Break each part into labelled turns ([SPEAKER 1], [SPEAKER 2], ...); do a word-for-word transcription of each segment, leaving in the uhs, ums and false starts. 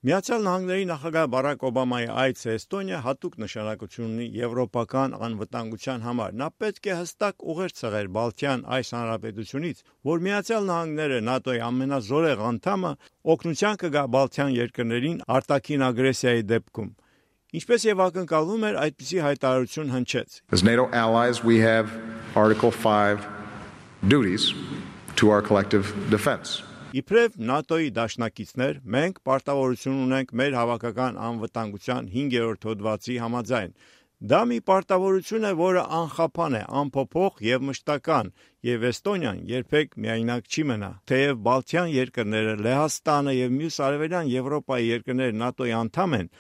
[SPEAKER 1] Միացյալ Նահանգների նախագահ Բարակ Օբամայի այցը Էստոնիա հատուկ նշանակություն ունի եվրոպական անվտանգության համար։ Նա պետք է հստակ ուղեր ցղեր Բալթյան այս հանրապետությունից, որ Միացյալ Նահանգները ՆԱՏՕ-ի ամենազորեղ անդամը օգնության կգա Բալթյան երկրներին արտաքին ագրեսիայի դեպքում։ Ինչպես եւ ակնկալվում էր, այդպիսի հայտարարություն հնչեց։
[SPEAKER 2] As NATO allies, we have Article five duties to our collective defense.
[SPEAKER 1] Իբրև ՆԱՏՕ-ի դաշնակիցներ, մենք պարտավորություն ունենք մեր հավաքական անվտանգության հինգերորդ հոդվածի համաձայն։ Դա մի պարտավորություն է, որը անխափան է, անփոփոխ եւ մշտական, եւ Էստոնիան երբեք միայնակ չի մնա։ Թեև Բալթյան երկրները, Լեհաստանը եւ մյուս արևելյան Եվրոպայի երկրները ՆԱՏՕ-ի անդամ են,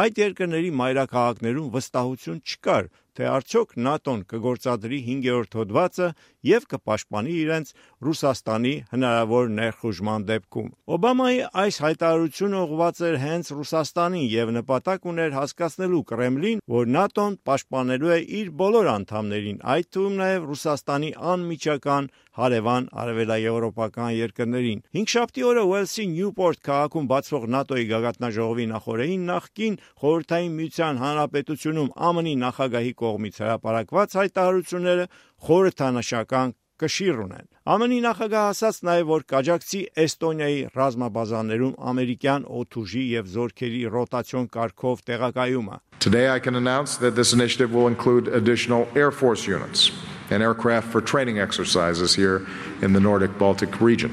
[SPEAKER 1] այդ երկրների մայրաքաղաքներում վստահություն չկար, թե արդյոք ՆԱՏՕ-ն կգործադրի հինգերորդ հոդվածը եւ կպաշտպանի իրենց Ռուսաստանի հնարավոր ներխուժման դեպքում։ Օբամայի այս հայտարարությունը ուղղված էր հենց Ռուսաստանին եւ նպատակ ուներ հասկացնելու Կրեմլին, որ ՆԱՏՕ-ն պաշտպանելու է իր բոլոր անդամներին, այդ թվում նաեւ Ռուսաստանի անմիջական հարևան արևելաեվրոպական երկրներին։ Հինգշաբթի օրը Ուելսի Նյուպորտ քաղաքում բացվող ՆԱՏՕ-ի գագաթնաժողովի նախօրեին նախկին Խորհրդային Միության Հանրապետությունում ԱՄՆ-ի նախագահի կողմից հրապարակված հայտարարությունները խորհրդանշական կշիռ ունեն։ ԱՄՆ-ի նախագահը ասաց նաև, որ կաջակցի Էստոնիայի ռազմաբազաներում ամերիկյան օդուժի եւ զորքերի ռոտացիոն կարգով տեղակայումը։
[SPEAKER 2] Today I can announce that this initiative will include additional Air Force units and aircraft for training exercises here in the Nordic Baltic region.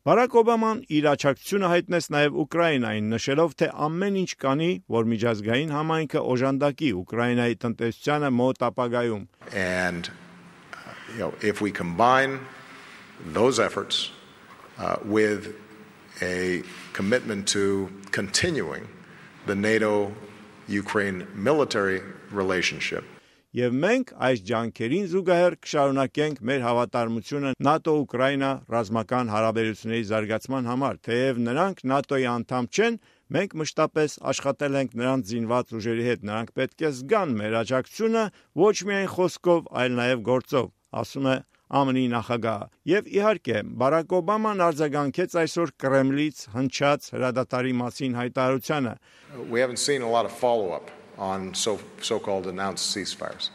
[SPEAKER 1] Բարակ Օբաման իր աջակցությունը հայտնեց նաև Ուկրաինային, նշելով, թե ամեն ինչ կանի, որ միջազգային համայնքը օժանդակի Ուկրաինայի տնտեսությանը մոտ ապագայում։
[SPEAKER 2] And you know, if we combine those efforts uh, with a commitment to continuing the NATO-Ukraine military relationship.
[SPEAKER 1] Եվ մենք այս ջանքերին զուգահեռ կշարունակենք մեր հավատարմությունը ՆԱՏՕ-Ուկրաինա ռազմական հարաբերությունների զարգացման համար, թեև նրանք ՆԱՏՕ-ի անդամ չեն, մենք մշտապես աշխատել ենք նրանց զինված ուժերի հետ, նրանք պետք է զգան մեր աջակցությունը ոչ միայն խոսքով, այլ նաև գործով, ասում է ԱՄՆ-ի նախագահը։ Եւ իհարկե, Բարակ Օբաման արձագանքեց այսօր Կրեմլից հնչած հրադադարի մասին հայտարարությանը։
[SPEAKER 2] We haven't seen a lot of follow-up on so, so-called announced ceasefires.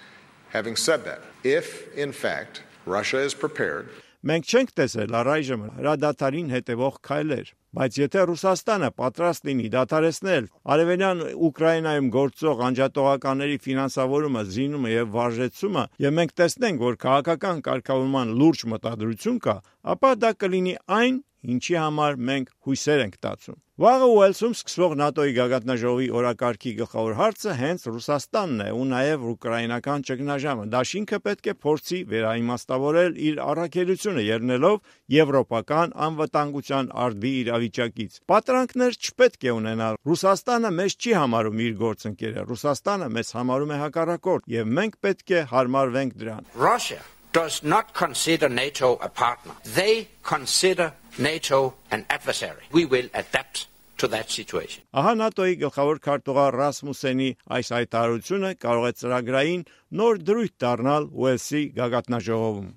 [SPEAKER 2] Having said that, if, in fact, Russia is prepared...
[SPEAKER 1] Մենք չենք տեսել առայժմ հրադադարին հետևող քայլեր, բայց եթե Ռուսաստանը պատրաստ լինի դադարեցնել արևելյան Ուկրաինայում գործող անջատողականների ֆինանսավորումը, զինումը եւ վարժեցումը, եւ մենք տեսնենք, որ քաղաքական կարգավորման լուրջ մտադրություն կա, ապա դա կլինի այն, ինչի համար մենք հույսեր ենք տածում։ Վաղը Ուելսում սկսվող ՆԱՏՕ-ի գագաթնաժողովի օրակարգի գլխավոր հարցը հենց Ռուսաստանն է ու նաև ուկրաինական ճգնաժամը։ Դաշինքը պետք է փորձի վերաիմաստավորել իր առաքելությունը ելնելով եվրոպական անվտանգության արդի իրավիճակից։ Պատրանքներ չպետք է ունենալ։ Ռուսաստանը մեզ չի համարում իր գործընկերը, Ռուսաստանը մեզ համարում է հակառակորդ, եւ մենք պետք է հարմարվենք դրան։
[SPEAKER 3] Russia does not consider NATO a partner. They consider NATO an adversary. We will adapt to that situation.
[SPEAKER 1] Ահա ՆԱՏՕ-ի գլխավոր քարտուղար Ռասմուսենի այս հայտարարությունը կարող է ծրագրային նոր դրույթ դառնալ Ուելսի գագաթնաժողովում։